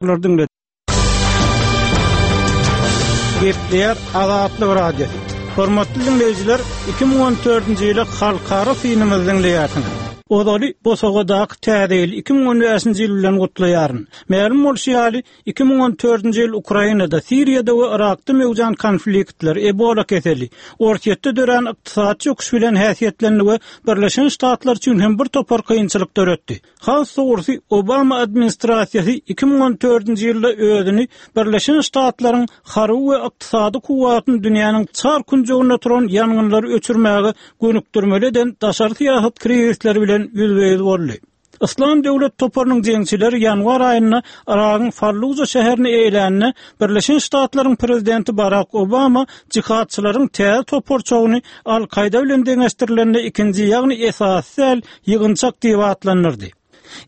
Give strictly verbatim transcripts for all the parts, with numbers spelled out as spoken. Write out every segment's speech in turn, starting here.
Diňle. Gepleýär Azatlyk Radiosy. Hormatly diňleýjiler, iki müň on dördünji ýyly halkara synymyzy diňleýärsiňiz. Ozaly bosagadaky täze ýyl iki müň on bäşinji ýyl bilen gutlaýaryn. Mälim bolşy ýaly, iki müň on dördünji ýyl Ukrainada, Siriýada we Yrakda möwjan konfliktler, Ebola keseli, Orsýetde dörän ykdysady çöküş bilen häsiýetlendi we Birleşen Ştatlar üçin hem bir topar kynçylyk döretdi. Has dogrusy, Obama administrasiýasy iki müň on dördünji ýylda özüni Birleşen Ştatlaryň harby we ykdysady kuwwatyny dünýäniň çar künjeginde turan ýangynlary öçürmäge gönükdirmeli eden daşary syýasat krizisleri bilen ýüzbe-ýüz boldy. Yslam döwlet toparynyň jeňçileri ýanwar aýynda Yragyň Falluja şäherini eýlände Birleşen Ştatlaryň prezidenti Barak Obama jihadçylaryň täze toparçagyny Al-Kaýda bilen deňeşdirilende ikinji, ýagny esasy däl ýygynçak diýip atlandyrdy.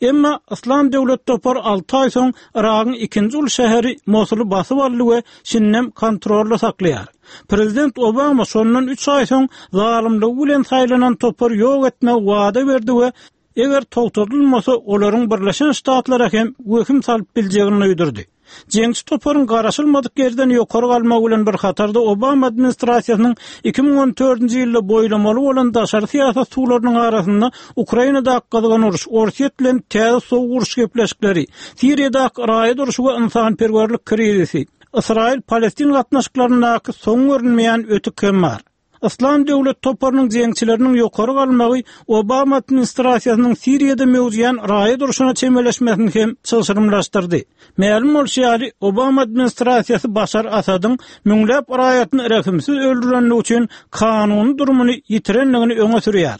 Emma Yslam döwlet topary alty aý soň Yragyň ikinji uly şäheri Mosuly basyp aldy we şindem kontrolda saklaýar. Prezident Obama şondan üç aý soň zalymlygy bilen saýlanan topary ýok etmegi wada berdi we eger togtadylmasa olaryň Birleşen Ştatlara hem wehim salyp biljegini duýdurdy. Jeňçi toparyň garaşylmadyk ýerden ýokary galmagy bilen bir hatarda Obama administrasiýasynyň iki müň on dördünji ýylda boýlamaly bolan daşary syýasat suwlarynyň arasynda Ukrainadaky gyzgyn uruş, Orsýet bilen täze sowuk uruş gepleşikleri, Siriýadaky raýat urşy we ynsanperwerlik krizisi, Ysraýyl-Palestin gatnaşyklaryndaky soň görünmeýän ötük hem bar. Yslam döwlet toparynyň jeňçileriniň ýokary galmagy Obama administrasiýasynyň Siriýada möwjeýän raýat urşuna çemeleşmesini hem çylşyrymlaşdyrdy. Mälim bolşy ýaly, Obama administrasiýasy Başar Asadyň müňläp raýatyny rehimsiz öldürenligi üçin kanuny durumyny ýitirendigini öňe sürýär.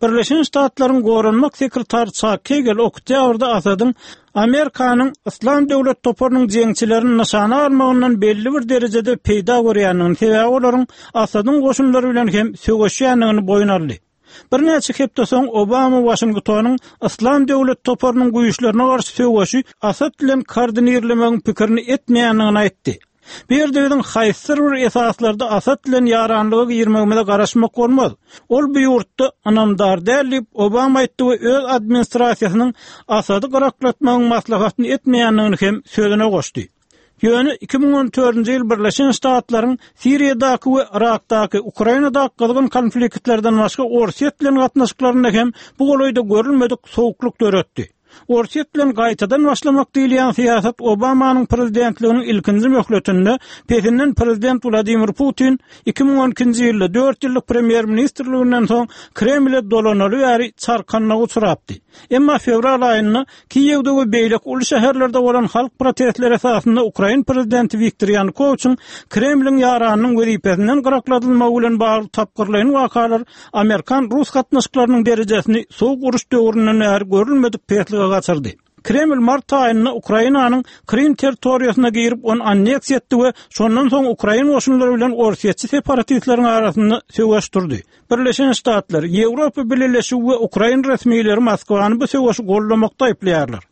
Birleşen Ştatlaryň goranmak sekretary Çak Hegel oktýabrda Asadyň Amerikanyň Yslam döwlet toparynyň jeňçilerini nyşana almagyndan belli bir derejede peýda görýändigini, sebäbi olaryň Asadyň goşunlary bilen hem söweşýändigini boýun aldy. Birnäçe hepde soň Obama Waşingtonyň Yslam döwlet toparynyň güýçlerine garşy söweşi Asad bilen koordinirlemegiň pikirini etmeýändigini aýtdy. Bu ýerde biziň haýsydyr bir esaslarda Asad bilen ýaranlyga girmegimize garaşmak bolmaz. Ol bu ýurtda ynamdar däl diýip Obama aýtdy we öz administrasiýasynyň Asady gyraklatmagyň maslahatyny etmeýändigini hem sözüne goşdy. Ýöne iki müň on dördünji ýyl Birleşen Ştatlaryň Siriýadaky we Yrakdaky, Ukrainadaky gyzgyn konfliktlerden başga Orsýet bilen gatnaşyklarynda hem bu golaýda görülmedik sowuklyk döretdi. Orsýet bilen gaýtadan başlamak diýilýän syýasat Obamanyň prezidentliginiň ilkinji möhletinde pesinden prezident Wladimir Putin iki müň on ikinji ýylda dört ýyllyk premýer-ministrliginden soň Kremle dolanaly bäri çarkanlyga uçrapdy. Emma fewral aýynda Kiýewde we beýleki uly şäherlerde bolan halk protestleri esasynda Ukrain prezidenti Wiktor Ýanukowiçiň Kremliň ýaranynyň wezipesinden gyrakladylmagy bilen bagly tapgyrlaýyn wakalar Amerikan-rus gatnaşyklarynyň derejesini sowuk uruş döwründen bäri görülmedik peslige gaçyrdy. Kreml mart aýynda Ukrainanyň Krym territoriýasyna girip ony anneksiýa etdi we şondan soň ukrain goşunlary bilen orsýetçi separatistleriň arasynda söweş durdy. Birleşen Ştatlar, Ýewropa Bileleşigi we ukrain resmileri Moskwany bu söweşi goldamakda aýyplaýarlar.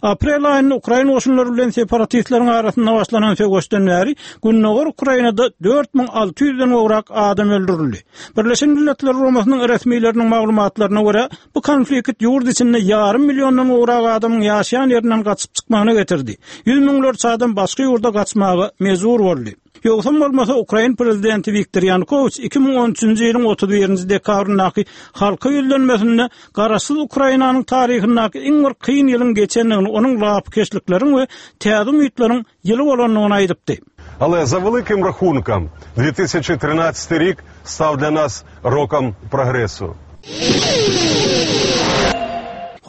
Aprel aýynda ukrain goşunlary bilen separatistleriň arasynda başlanan söweşden bäri Gündogar Ukrainada dört müň alty ýüzden gowrak adam öldürildi. Birleşen Milletler Guramasynyň resmileriniň maglumatlaryna görä, bu konflikt ýurt içinde ýarym milliondan gowrak adamyň ýaşaýan ýerinden gaçyp çykmagyna getirdi. Ýüz müňlerçe adam başga ýurda gaçmaga mejbur boldy. Ýogsam bolmasa Ukrain prezidenti Wiktor Ýanukowiç iki müň on üçünji ýylyň otuz birinji dekabryndaky halka ýüzlenmesinde garaşsyz Ukrainanyň taryhyndaky iň bir kyn ýylyň geçendigini, onuň lapykeçlikleriň we täze umytlaryň ýyly bolandygyny aýdypdy. Ale za velikim rahunkom dve tisuće trinaesti rok stav dla nas rokom progresu.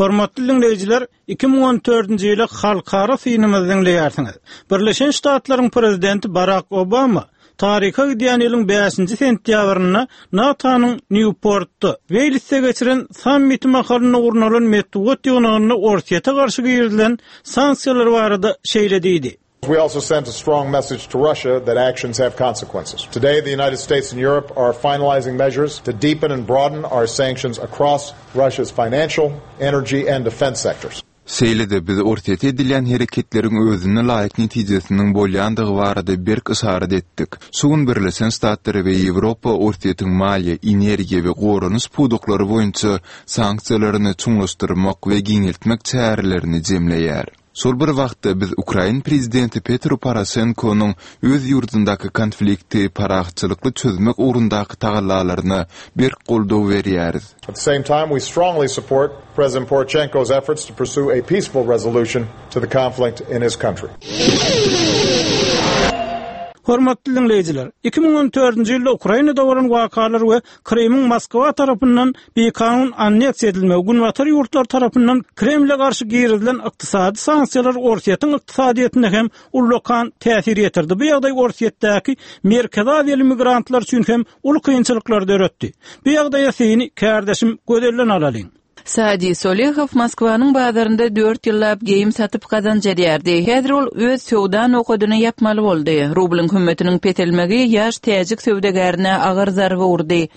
Hormatly dinleýjiler, iki müň on dördünji ýyly halkara synymyzy diňleýärsiňiz. Birleşen Ştatlaryň prezidenti Barak Obama taryha gidýän ýylyň bäşinji sentýabrynda NATO-nyň Nýuportda, Weýlsde geçiren sammiti mahalynda gurnalan metbugat ýygnagynda Orsýete garşy girizilen sanksiýalar barada şeýle diýdi. We also sent a strong message to Russia that actions have consequences. Today, the United States and Europe are finalizing measures to deepen and broaden our sanctions across Russia's financial, energy and defense sectors. Şeýle-de biz Orsýete edilýän hereketleriň özüne laýyk netijesiniň bolýandygy barada berk yşarat etdik. Şu gün Birleşen Ştatlary we Ýewropa Orsýetiň maliýe, energiýa we goranyş pudaklary boýunça sanksiýalaryny çuňlaşdyrmak we giňeltmek çärelerini jemleýär. Şol bir wagtda biz Ukrain prezidenti Petro Poroşenkonyň öz ýurdundaky konflikti parahatçylykly çözmek ugrundaky tagallalaryna berk goldaw berýäris. At the same time, we strongly support President Poroshenko's efforts to pursue a peaceful resolution to the conflict in his country. Hormatly dinleýjiler, iki müň on dördünji ýylda Ukrainada bolan wakalar we Krymyň Moskwa tarapyndan bikanun anneksiýa edilmegi, Günbatar ýurtlar tarapyndan Kremle garşy girizilen ykdysady sanksiýalar Orsýetiň ykdysadyýetine hem ullakan täsir ýetirdi. Bu ýagdaý Orsýetdäki Merkezi Aziýaly migrantlar üçin hem uly kynçylyklar döretdi. Bu ýagdaýa seni kärdeşim Gözelden alalyň. Sadi Solehow Moskwanyň bazarynda dört ýyllap geýim satyp gazanç edýärdi. Häzir ol öz söwda nokadyny ýapmaly boldy. Rublyň hümmetiniň peselmegi ýaş täjik söwdagärine agyr zarba urdy.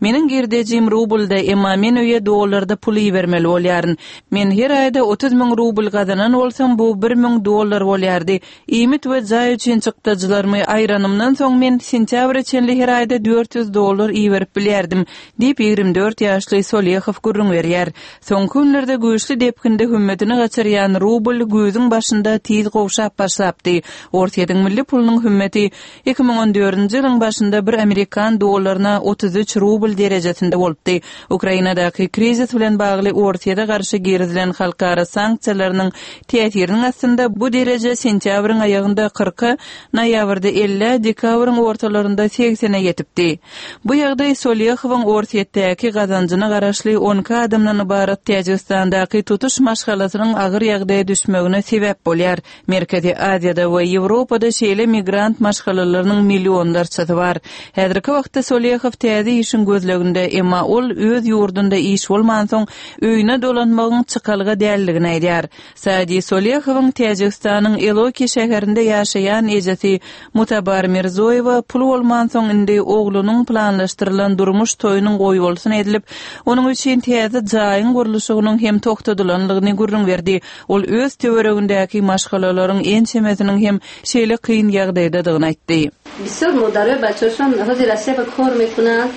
Meniň girdejim rublda, emma men öýe dollarda pul ibermeli bolýaryn. Men her aýda otuz müň rubl gazanan bolsam, bu bir müň dollar bolýardy. Iýmit we jaý üçin çykdajylarymy aýranymdan soň men sentýabra çenli her aýda dört ýüz dollar iberip bilýärdim, diýip ýigrimi dört ýaşly Solehow gürrüň berýär. Soňky günlerde güýçli depginde hümmetini gaçyrýan rubl güýzüň başynda tiz gowşap başlapdy. Orsýetiň milli pulunyň hümmeti iki müň on dördünji ýylyň başynda bir amerikan dollaryna otuz üç rubl derejesinde bolupdy. Ukrainadaky krizis bilen bagly Orsýete garşy girizilen halkara sanksiýalarynyň täsiriniň astynda bu dereje sentýabryň aýagynda kyrka, noýabrda elli, dekabryň ortalarynda segsene ýetipdi. Bu ýagdaý Solehowyň Orsýetdäki gazanjyna garaşly on iki adamdan ybarat Täjigistandaky tutuş maşgalasynyň agyr ýagdaýa düşmegine sebäp bolýar. Merkezi Aziýada we Ýewropada şeýle migrant maşgalalarynyň millionlarçasy bar. Häzirki wagtda Solehow täze işiň gözleginde, emma ol öz ýurdunda iş bolmansoň öýüne dolanmagyň çykalga däldigini aýdýar. Sadi Solehowyň Täjigistanyň Eloki şäherinde ýaşaýan ejesi Mutabar Mirzoýewa pul bolmansoň indi oglunyň planlaşdyrylan durmuş toýunyň goýbolsun edilip, onuň üçin täze jaýyň gurluşygynyň hem togtadylanlygyny gürrüň berdi. Ol öz töweregindäki maşgalalaryň ençemesiniň hem şeýle kyn ýagdaýdadygyny aýtdy. Bisör modare baçoşon hozir aseba kor mekuna,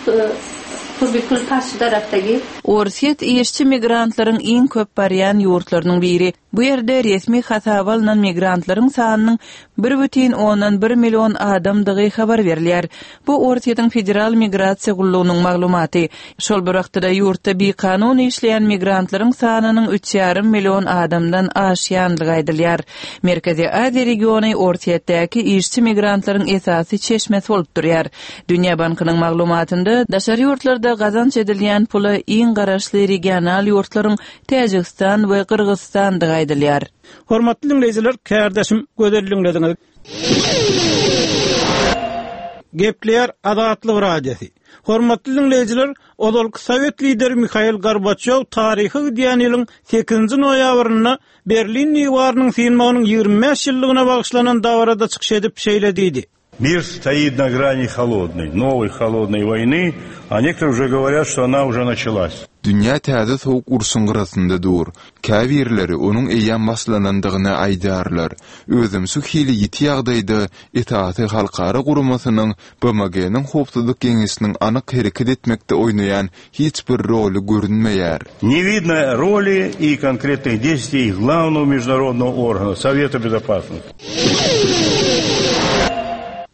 Kurbi kul paş taraftagi. Orsýet işçi migrantlaryň iň köp barýan ýurtlarynyň biri. Bu ýerde resmi hasaba alnan migrantlaryň sanynyň bir bütin ondan bir million adamdygy habar berilýär. Bu Orsýetiň Federal Migrasiýa Gullugynyň maglumaty. Şol bir wagtda ýurtda bikanun işleýän migrantlaryň sanynyň üç ýarym million adamdan aşýandygy aýdylýar. Merkezi Aziýa regiony Orsýetdäki işçi migrantlaryň esasy çeşmesi bolup durýar. Dünýä Bankynyň maglumatynda daşary ýurtlarda gazanç edilýän pula iň garaşly regional ýurtlaryň Täjigistan we Gyrgyzystandygy aýdylýar. Hormatly dinleýjiler, kärdeşim Gözel dinlediňiz. Gepleýär Azatlyk Radiosy. Hormatly dinleýjiler, ozalky Sowet lideri Mihail Gorbaçýow taryhy gidýän ýylyň sekizinji noýabrynda Berlin diwarynyň synmagynyň ýigrimi bäş ýyllygyna bagyşlanan dabarada çykyş edip şeýle diýdi. Мир стоит на грани холодной, новой холодной войны, а некоторые уже говорят, что она уже началась. Dünýä täze soğuk urşuň gyrasynda dur. Käbirleri onuň eýýäm başlanandygyny aýdarlar. Özüm şu hili ýiti ýagdaýda esasy halkara guramasynyň B M G-niň howpsuzlyk geňeşiniň anyk hereket etmekde oýnaýan hiç bir roly görünmeýär. Не видно роли и конкретных действий главного международного органа Совета Безопасности.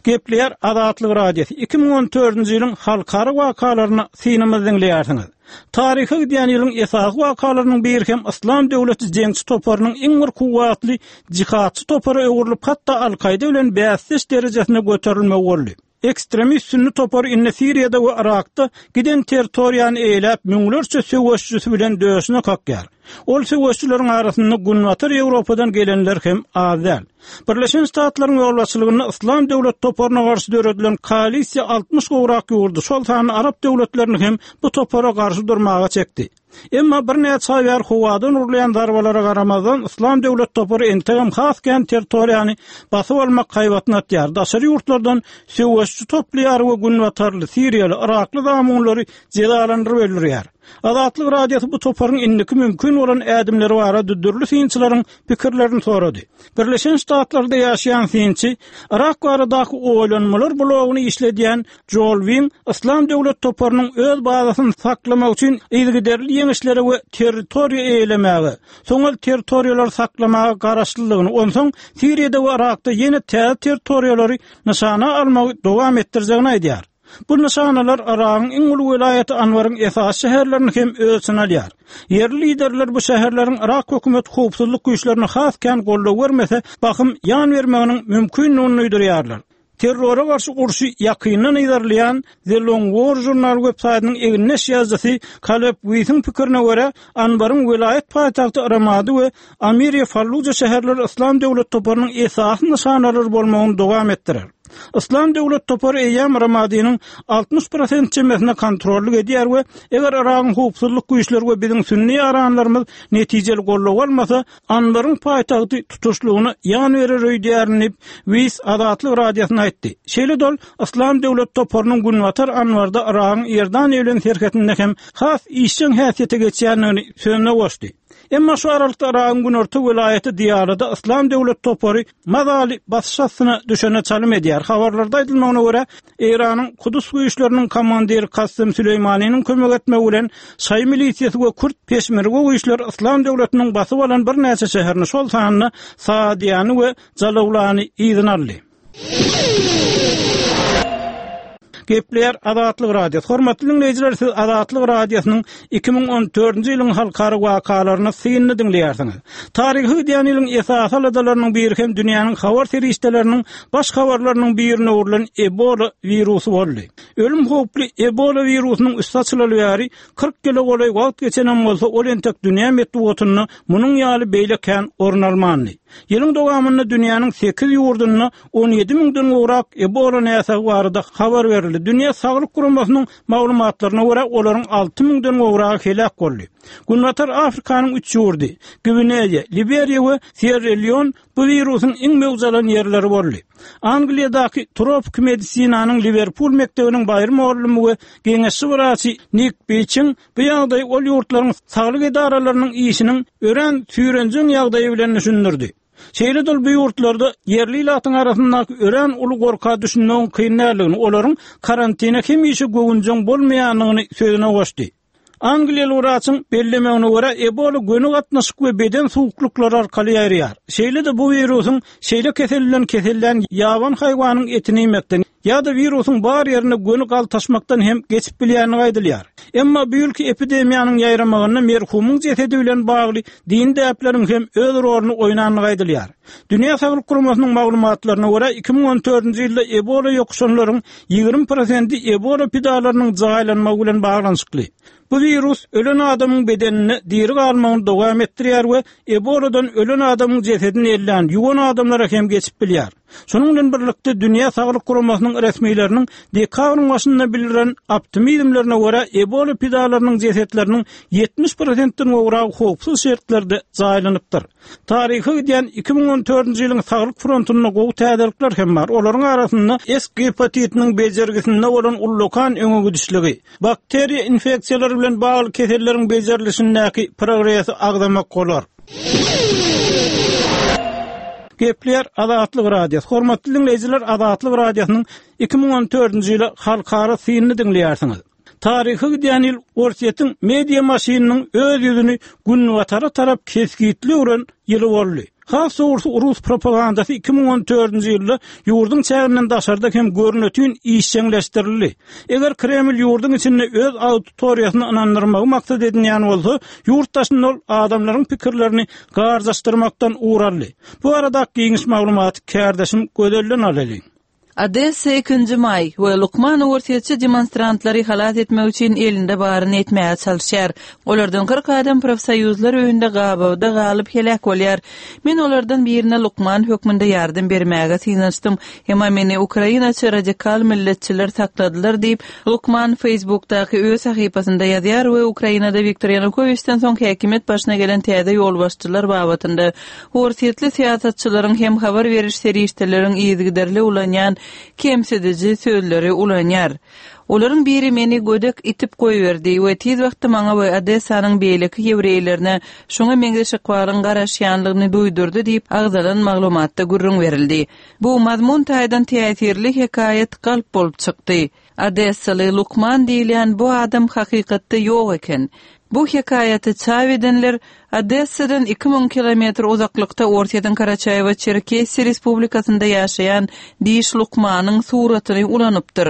Gepleýär Azatlyk Radiosy. iki müň on dördünji ýylyň halkara wakalaryny synymyz diňleýärsiňiz. Taryhy gidýän ýylyň esasy wakalarynyň biri hem Islam döwleti jeňçi toparynyň iň bir kuwwatly jihatçy topara öwrülip, hatda Al-Kaýda bilen bäsdeş derejesine göterilmegi boldy. Ekstremist sünni topary indi Siriýada we Irakda giden territoriýany eýläp müňlerçe söweşçisi bilen döşüne kakýar. Ol söweşçileriň arasynda Günbatar Ýewropadan gelenler hem az däl. Birleşen Ştatlaryň ýolbaşçylygynda Islam döwlet toparyna garşy döredilen koalisiýa altmyş gowrak ýurdy, şol sanda Arap döwletlerini hem bu topara garşy durmaga çekdi. Emma bir näçe aý bäri howadan urulýan zarbalara garamazdan Islam döwlet topary entegem has kän territoriýany basyp almak haýbatyny atýar. Daşary ýurtlardan söweşçi toplaýar we Günbatarly, Siriýaly, Irakly zamunlary jezalandyryp öldürýär. Azatlyk Radiosy bu toparyň indiki mümkin mümkin bolan ädimleri barada dürli synçylaryň pikirlerini sorady. Birleşen Ştatlarda ýaşaýan synçy, Yrak baradaky oýlanmalar blogyny işledýän Joel Wing, Yslam döwlet toparynyň öz bazasyny saklamak üçin yzygiderli ýeňişlere we territoriýa eýelemäge, soň ol territoriýalary saklamaga garaşlylygyny, onsoň Siriýada we Yrakda ýene täze territoriýalary nyşana almagy dowam etdirjegini aýdýar. Bu nyşanalar Yragyň iň uly welaýaty Anwaryň esasy şäherlerini hem öz içine alýar. Ýerli liderler bu şäherleriň Yrak hökümet howpsuzlyk güýçlerine has kän goldaw bermese, bahym ýan bermeginiň mümkindigini duýdurýarlar. Terrora garşy urşy ýakyndan yzarlaýan The Long War Journal web saýtynyň egindeş ýazyjysy Kaleb Wisiň pikirine görä, Anwaryň welaýat paýtagty Ramadi we Amiriýe Falluja şäherleri Yslam döwlet toparynyň esasy nyşanalary bolmagyny dowam etdirer. Yslam döwlet topary eýýäm Ramadiniň altmyş prosent çemesine kontrollyk edýär we eger Yragyň howpsuzlyk güýçleri we biziň sünni ýaranlarymyz netijeli goldaw almasa, Anwaryň paýtagty tutuşlygyna ýan berer öýdýärin diýip, Wis Azatlyk Radiosyna aýtdy. Şeýle-de ol Yslam döwlet toparynyň Günbatar Anwarda Yragyň Iordaniýa bilen serhedinde hem has işjeň häsiýete geçýändigini sözüne goşdy. Emma şu aralykda Yragyň günorta welaýaty Diýarada Yslam döwlet topary mazaly basyş astyna düşene çalym edýär. Habarlarda aýdylmagyna görä, Eýranyň Kudus güýçleriniň komandiri Kasym Süleýmanynyň kömek etmegi bilen şaýy milisiýasy we kürt peşmerge güýçleri Yslam döwletiniň basyp alan birnäçe şäherini, şol sanda Saadiýany we Jalawlany yzyna aldy. Gepleýär Azatlyk Radiosy. Hormatly diňleýjiler, siz Azatlyk Radiosynyň iki müň on dördünji ýylyň halkara wakalaryny synly diňleýärsiňiz. Taryhy gidýän ýylyň esasy aladalarynyň biri hem dünýäniň habar serişdeleriniň baş habarlarynyň birine öwrülen Ebola wirusy boldy. Ölüm howply Ebola wirusynyň üsti açylaly bäri kyrk ýyla golaý wagt geçenem bolsa, ol entek dünýä metbugatynda munuň ýaly beýle kän orun almandy. Ýylyň dowamynda dünýäniň sekiz ýurdunda on ýedi müňden gowrak Ebola näsagy barada habar berildi. Dünýä Saglyk Guramasynyň maglumatlaryna görä, olaryň alty müňden gowragy heläk boldy. Günbatar Afrikanyň üç ýurdy, Gwineýa, Liberiýa we Sierra Leone bu wirusyň iň möwç alan ýerleri boldy. Angliýadaky tropiki medisinanyň Liwerpul mekdebiniň baýry mugallymy we geňeşçi wraçy Nik Biçiň bu ýagdaýy ol ýurtlaryň saglyk edaralarynyň işiniň örän süýrenjeň ýagdaýy bilen düşündirdi. Şeýle-de bu ýurtlarda ýerli ilatyň arasyndaky örän uly gorka düşünmegiň kyn däldigini, olaryň karantina hemişe göwünjeň bolmaýandygyny sözüne goşdy. Angliýaly wraçyň bellemegine görä, Ebola göni gatnaşyk we beden suwuklyklary arkaly ýaýraýar. Şeýle-de bu wirusyň şeýle kesel bilen kesellän ýaban haýwanyň etini iýmekden ýa-da wirusyň bar ýerine göni galtaşmakdan hem geçip bilýändigi aýdylýar. Emma bu ýylky epidemiýanyň ýaýramagynda merhumyň jesedi bilen bagly din däpleriň hem öz roluny oýnandygy aýdylýar. Dünýä Saglyk Guramasynyň maglumatlaryna görä, iki müň on dördünji ýylda Ebola ýokuşanlaryň ýigrimi prosenti Ebola pidalarynyň jaýlanmagy bilen baglanyşykly. Bu wirus ölen adamyň bedeninde diri galmagyny dowam etdirýär we Eboladan ölen adamyň jesedini ellän, ýuwan adamlara hem geçip bilýär. Şonuň bilen birlikde Dünýä Saglyk Guramasynyň resmileriniň dekabryň başynda bildiren optimizmlerine görä, Ebola pidalarynyň jesetleriniň ýetmiş prosentden gowragy howpsuz şertlerde jaýlanypdyr. Taryhy gidýän iki müň on dördünji ýylyň saglyk frontunda gowy täzelikler hem bar. Olaryň arasynda S gepatitiniň bejergisinde bolan ullakan öňe gidişligi, bakteriýa infeksiýalary bilen bagly keselleriň bejerilişindäki progresi agzamak bolar. Gepleýär Azatlyk Radiosy. Hormatly diňleýjiler, Azatlyk Radiosynyň iki müň on dördünji ýyly halkara synyny diňleýärsiňiz. Taryhy gidýän ýyl Orsýetiň media maşynynyň öz ýüzüni günbatara tarap kesgitli öwren ýyly boldy. Has dogrusu rus propagandasy iki müň on dördünji ýylda ýurduň çäginden daşarda hem görnütün işjeňleşdirildi. Eger Kreml ýurduň içinde öz auditoriýasyny ynandyrmagy maksat edinýän bolsa, ýurt daşynda ol adamlaryň pikirlerini garjaşdyrmakdan ugraldy. Bu arada giňiş maglumaty kärdeşim Gözelden alalyň. Odessa ikinji maý we Lukman Orsýetçi demonstrantlary halas etmek üçin elinde baryny etmäge çalışýar. Olardan kyrk adam profsoýuzlar öýünde gabawda galyp heläk bolýar. Men olardan birine Lukman hökmünde ýardam bermäge synanyşdym. Emma meni Ukrainaçy radikal milletçiler sakladylar diýip, Lukman Facebookdaky öz sahypasynda ýazýar we Ukrainada Wiktor Ýanukowiçden soň häkimiýet başyna gelen täze ýolbaşçylar babatynda Orsýetli syýasatçylaryň hem habar beriş serişdeleriň yzygiderli ulanýan kemsidiji sözleri ulanýar. Olaryň biri meni gödek itip goýberdi we tiz wagtda maňa we Odessanyň beýleki ýewreýlerine şoňa meňzeş ykbalyň garaşýanlygyny duýdurdy diýip agzalan maglumatda gürrüň berildi. Bu mazmun taýdan täsirli hekaýat galp bolup çykdy. Odessaly Lukman diýilýän bu adam hakykatda ýok eken. Bu hekaýaty çap edenler Odessadan iki müň kilometr uzaklykda Orsýetiň Karaçaýewo-Çerkesiýa Respublikasynda ýaşaýan diş lukmanyň suratyny ulanypdyr.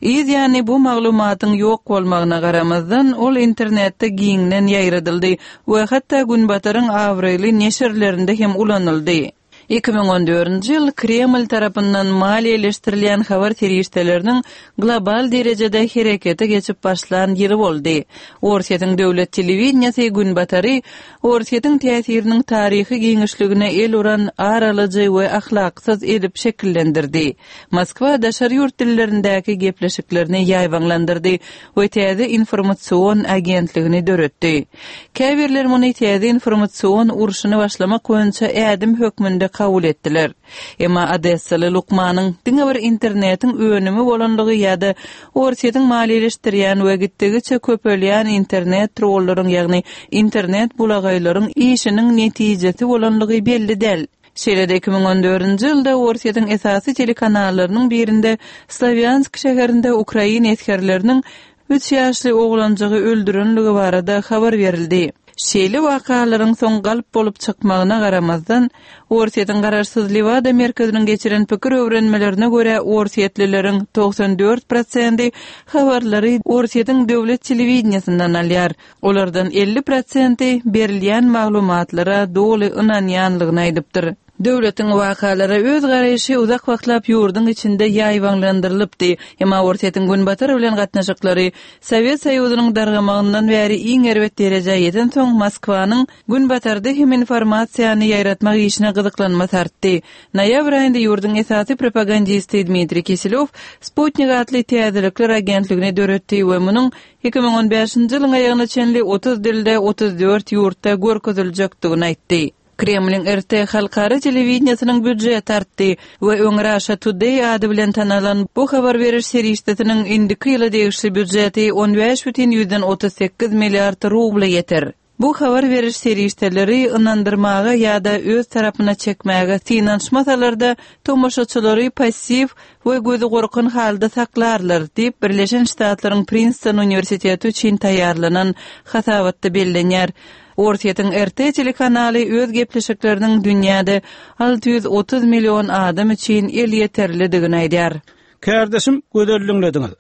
Yz ýany bu maglumatyň ýok bolmagyna garamazdan, ol internetde giňden ýaýradyldy we hatda Günbataryň abraýly neşirlerinde hem ulanyldy. Iki müň on dördünji ýyl Kreml tarapyndan maliýeleşdirilýän habar serişdeleriniň global derejede herekete geçip başlan ýyly boldy. Orsýetiň döwlet telewideniýesi Günbatary Orsýetiň täsiriniň taryhy giňişligine el uran aralyjy we ahlaksyz edip şekillendirdi. Moskwa daşary ýurt dillerindäki gepleşiklerini ýaýbaňlandyrdy we täze informasion agentligini döretdi. Käbirler muny täze informasion urşuny başlamak boýunça ädim hökmünde kabul etdiler. Emma Odessaly Lukmanyň diňe bir internetiň önümi bolanlygy ýa-da Orsýetiň maliýeleşdirýän we gitdigiçe köpelýän internet trollaryň, ýagny internet bulagaýlaryň işiniň netijesi bolanlygy belli däl. Şeýle-de iki müň on dördünji ýylda Orsýetiň esasy telekanallarynyň birinde Slawýansk şäherinde ukrain esgerleriniň üç ýaşly oglanjygy öldürenligi barada habar berildi. Şeýle wakalaryň soň galp bolup çykmagyna garamazdan, Orsýetiň garaşsyz Lewada merkeziniň geçiren pikir öwrenmelerine görä orsýetlileriň togsan dört prosenti habarlary Orsýetiň döwlet telewideniýesinden alýar. Olardan elli prosenti berilýän maglumatlara doly ynanýanlygyny aýdypdyr. Döwletiň wakalara öz garaýşy uzak wagtlap ýurduň içinde ýaýbaňlandyrylypdy. Emma Orsýetiň Günbatar bilen gatnaşyklary Sowet Soýuzynyň dargamagyndan bäri iň erbet derejä ýeten soň Moskwanyň Günbatarda hem informasiýany ýaýratmak işine gyzyklanmasy artdy. Noýabr aýynda ýurduň esasy propagandisti Dmitriý Kiselýow Sputnik atly täzelikler agentligini döretdi we munuň iki müň on bäşinji ýylyň aýagyna çenli otuz dilde otuz dört ýurtda görkeziljekdigini aýtdy. Kremliň R T halkara telewideniýesiniň býudžeti artdy we öň Russia Today ady bilen tanalan bu habar beriş serişdesiniň indiki ýyla degişli býudžeti on bäş bütin ýüzden otuz sekiz milliard rubla ýeter. Bu habar beriş serişdeleri ynandyrmaga ýa-da öz tarapyna çekmäge synanyşmasalar-da tomaşaçylary passiw we gözi gorkan halda saklarlar diýip Birleşen Ştatlaryň Princeton Uniwersiteti üçin taýýarlanan hasabatda bellenýär. Orsýetiň R T telekanaly öz gepleşikleriniň dünýäde alty ýüz otuz million adam üçin elýeterlidigini aýdýar. Kardeşim gözelliňlediňiz.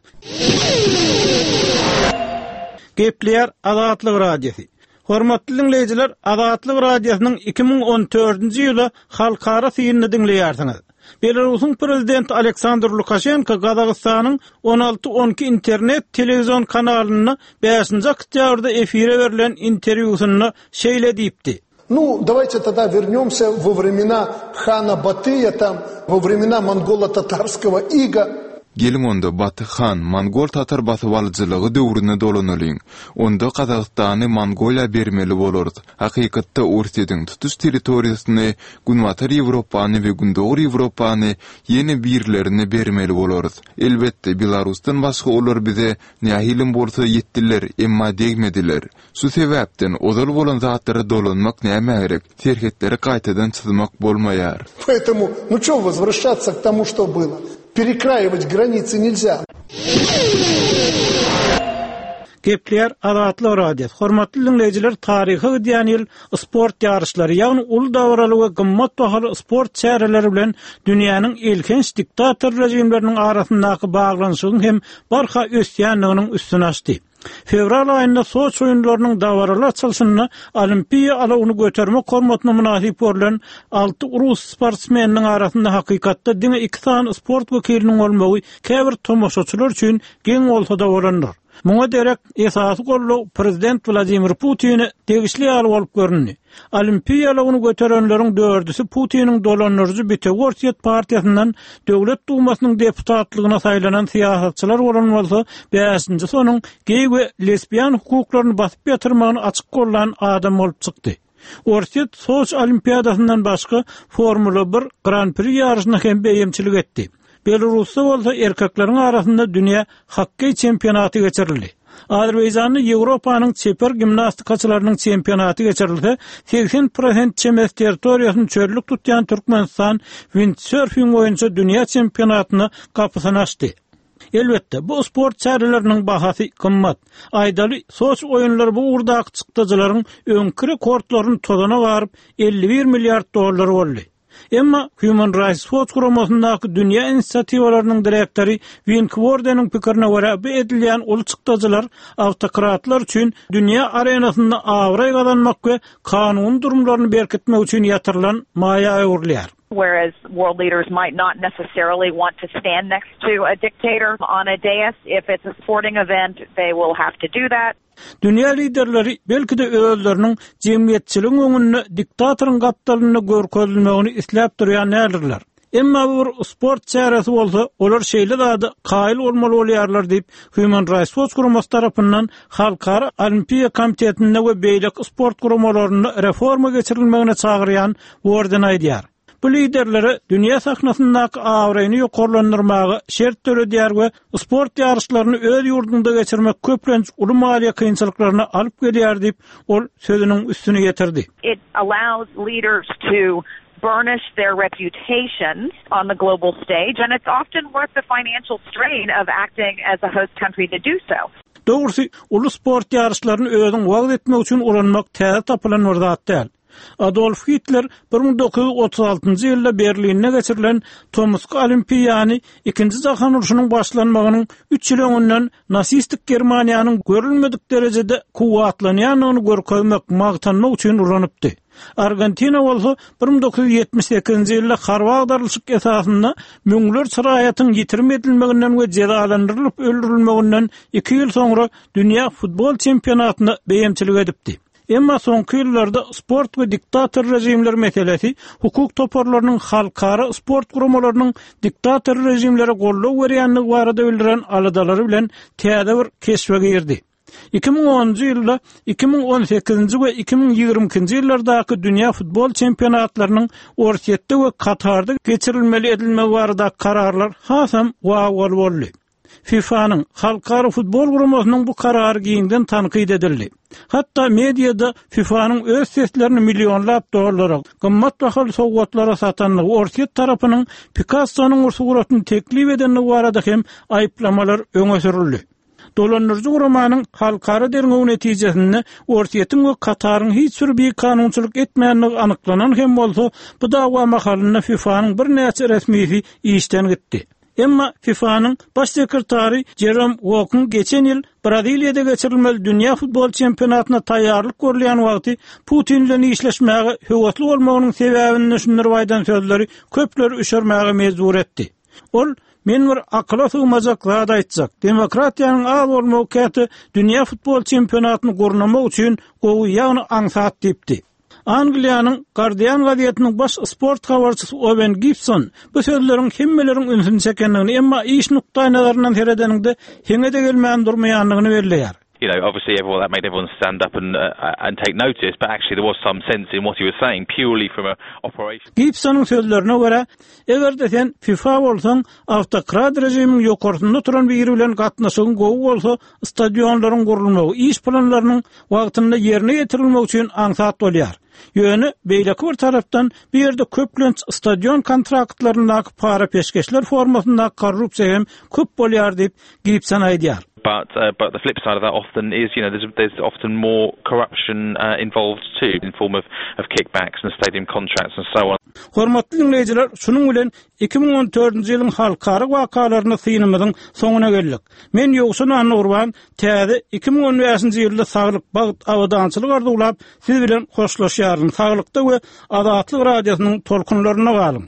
Gepleýär Azatlyk Radiosy. Hormatly dinleýjiler, Azatlyk Radiosynyň iki müň on dördünji ýyly halkara synyny diňleýärsiňiz. Belarusyň prezidenti Aleksandr Lukaşenko Gazagystanyň on alty on iki internet telewizion kanalynda bäşinji oktýabrda efire berlen interwýusynda şeýle diýipdi. Ну, давайте тогда вернемся во времена хана Батыя, там, во времена монголо-татарского ига. Geliň onda Baty han Mongol-Tatar basybalyjylygy döwrüne dolanalyň. Onda Gazagystany Mongoliýa bermeli bolarys. Hakykatda Orsýetiň tutuş territoriýasyny Günbatar Ýewropany we Gündogar Ýewropany ýene birlerine bermeli bolarys. Elbetde Belarusdan başga olar bize nähilim bolsa ýetdiler, emma degmediler. Şu sebäpden ozal bolan zatlara dolanmak näme gerek? Serhetleri gaýtadan çyzmak bolmaýar. Поэтому, ну чё возвращаться к тому, что было? Перекраивать границы нельзя. Gepleýär Azatlyk Radiosy. Hormatly dinleýjiler, taryhy gidýän ýyl sport ýaryşlary, ýagny uly dawraly we gymmat bahaly sport çäreleri bilen dünýäniň elhenç diktator rejimleriniň arasyndaky baglanyşygyň hem barha ösýänliginiň üstüne açdy. Fewral aýynda Soçi oýunlarynyň dawaraly açylyşynda Olimpiýa alawyny götermek hormatyna mynasyp görülen alty rus sportsmeniniň arasynda hakykatda diňe iki sany sport wekiliniň bolmagy käbir tomaşaçylar üçin geň bolsa-da bolandyr. Muňa derek esasy golly prezident Wladimir Putine degişli ýaly bolup göründi. Olimpiýa alawyny göterenleriň dördüsi Putiniň dolandyryjy Bitewi Orsýet partiýasyndan Döwlet Dumasynyň deputatlygyna saýlanan syýasatçylar bolan bolsa, bäşinji sonuň geý we lesbian hukuklaryny basyp ýatyrmagyny açyk gollan adam bolup çykdy. Orsýet Soçi Olimpiadasyndan başga Formula bir Grand Prix ýaryşyna hem beýemçilik etdi. Belarusda bolsa erkekleriň arasynda dünýä hokkeý çempionaty geçirildi. Azerbaýjanda Ýewropanyň çeper gimnastikaçylarynyň çempionaty geçirilse, segsen prosent çemesi territoriýasyny çöllük tutýan Türkmenistan windsurfing boýunça dünýä çempionatyna gapysyny açdy. Elbetde, bu sport çäreleriniň bahasy gymmat. Aýdaly, Soçi oýunlary bu ugurdaky çykdajylaryň öňki rekordlaryny tozana garyp, elli bir milliard dollar boldy. Emma Human Rights Watch guramasyndaky dünýä inisiatiwalarynyň direktory Wink Wordeniň pikirine görä, bu edilýän uly çykdajylar awtokratlar üçin dünýä arenasynda abraý gazanmak we kanuny durumlaryny berkitmek üçin ýatyrylan maýa öwrülýär. Whereas world leaders might not necessarily want to stand next to a dictator on a dais, if it's a sporting event, they will have to do that. Dünýä liderleri belki-de özleriniň jemgyýetçiligiň öňünde diktatoryň gapdalynda görkezilmegini isläp durýan däldirler. Emma bu bir sport çäresi bolsa, olar şeýle zada kaýyl bolmaly bolýarlar diýip, Human Rights Watch guramasy tarapyndan Halkara Olimpiýa komitetinde we beýleki sport guramalarynda reforma geçirilmegine çagyrýan Worden aýdýar. Bu liderlere dünýä sahnasyndaky abraýyny ýokarlandyrmaga şert döredýär we sport ýaryşlaryny öz ýurdunda geçirmek köplenç uly maliýe kynçylyklaryna alyp gelýär diýip, ol sözüniň üstüni ýetirdi. It allows leaders to burnish their reputations on the global stage, and it's often worth the financial strain of acting as a host country to do so. Dogrusy, uly sport ýaryşlaryny özüň wagyz etmek üçin ulanmak täze tapylan bir zat däl. Adolf Hitler bir müň dokuz ýüz otuz altynjy ýylda Berlinde geçirilen Tomusky Olimpiýany ikinji jahan urşunyň başlanmagynyň üç ýyl öňünden nasistik Germaniýanyň görülmedik derejede kuwwatlanýandygyny görkezmek, magtanmak üçin ulanypdy. Argentina bolsa bir müň dokuz ýüz ýetmiş sekizinji ýylda harby agdarylyşyk esasynda müňlerçe raýatyň ýitirim edilmeginden we jezalandyrylyp öldürilmeginden iki ýyl soňra dünýä futbol çempionatyna beýemçilik edipdi. Emma soňky ýyllarda sport we diktator režimler meselesi hukuk toparlarynyň halkara sport guramalarynyň diktator režimlere goldaw berýändigi barada bildiren aladalary bilen täze bir keşbe girdi. Iki müň onunjy ýylda iki müň on sekizinji we iki müň ýigrimi ikinji ýyllardaky dünýä futbol çempionatlarynyň Orsýetde we Katarda geçirilmeli edilmegi barada kararlar hasam wawwaly boldy. FIFA-nyň Halkara futbol guramasynyň bu karary giňden tankyt edildi. Hatda mediada FIFA-nyň öz seslerini millionlap dollara, gymmat bahaly sowgatlara satandygy, Orsýet tarapynyň Picasso-nyň suratyny teklip edendigi barada hem aýyplamalar öňe sürüldi. Dolandyryjy guramanyň halkara derňewi netijesinde Orsýetiň we Kataryň hiç bir bir kanunçylyk etmändigi anyklanan hem bolsa, bu dawa mahalynda FIFA-nyň birnäçe resmisi işden gitdi. Emma FIFA-nyň baş sekretary Jerome Wokyň geçen ýyl Braziliýada geçirilmeli dünýä futbol çempionatyna taýýarlyk görülýän wagty Putin bilen işleşmäge höwesli bolmagynyň sebäbini düşündirip aýdan sözleri köpleri üşermäge mejbur etdi. Ol, men bir akyla sygmajak zat aýtjak, demokratiýanyň az bolmagy käte dünýä futbol çempionatyny gurnamak üçin gowy, ýagny aňsat diýipdi. Angliýanyň Guardian gazetiniň baş sport habarçysy Owen Gibson bu sözleriň hemmeleriň ünsüni çekendigini, emma iş nukdaýnazaryndan seredeniňde heňe-de gelmän durmaýandygyny belleýär. You know, obviously everyone, that made everyone stand up and, uh, and take notice, but actually there was some sense in what he was saying purely from a operation. Gibsonyň sözlerine görä, eger-de sen FIFA bolsaň, awtokrat režimiň ýokarsynda duran biri bilen gatnaşygyň gowy bolsa, stadionlaryň gurulmagy, iş planlarynyň wagtynda ýerine ýetirilmegi üçin aňsat bolýar. Ýöne beýleki bir tarapdan bu ýerde köplenç stadion kontraktlaryndaky para peşgeşler formasyndaky korrupsiýa hem köp bolýar diýip Gibson aýdýar. But, uh, but the flip side of that often is, you know, there's, there's often more corruption, uh, involved too in form of, of kickbacks and stadium contracts and so on. Hormatly dinleýjiler, şunuň bilen iki müň on dördünji ýylyň halkara wakalaryny synymyzyň soňuna geldik. Men Ýowşan Annagurban täze iki müň on bäşinji ýylda saglyk, bagt, abadançylyk arzuwlap siz bilen hoşlaşýaryn. Saglykda we Azatlyk radiosynyň tolkunlarynda galyň.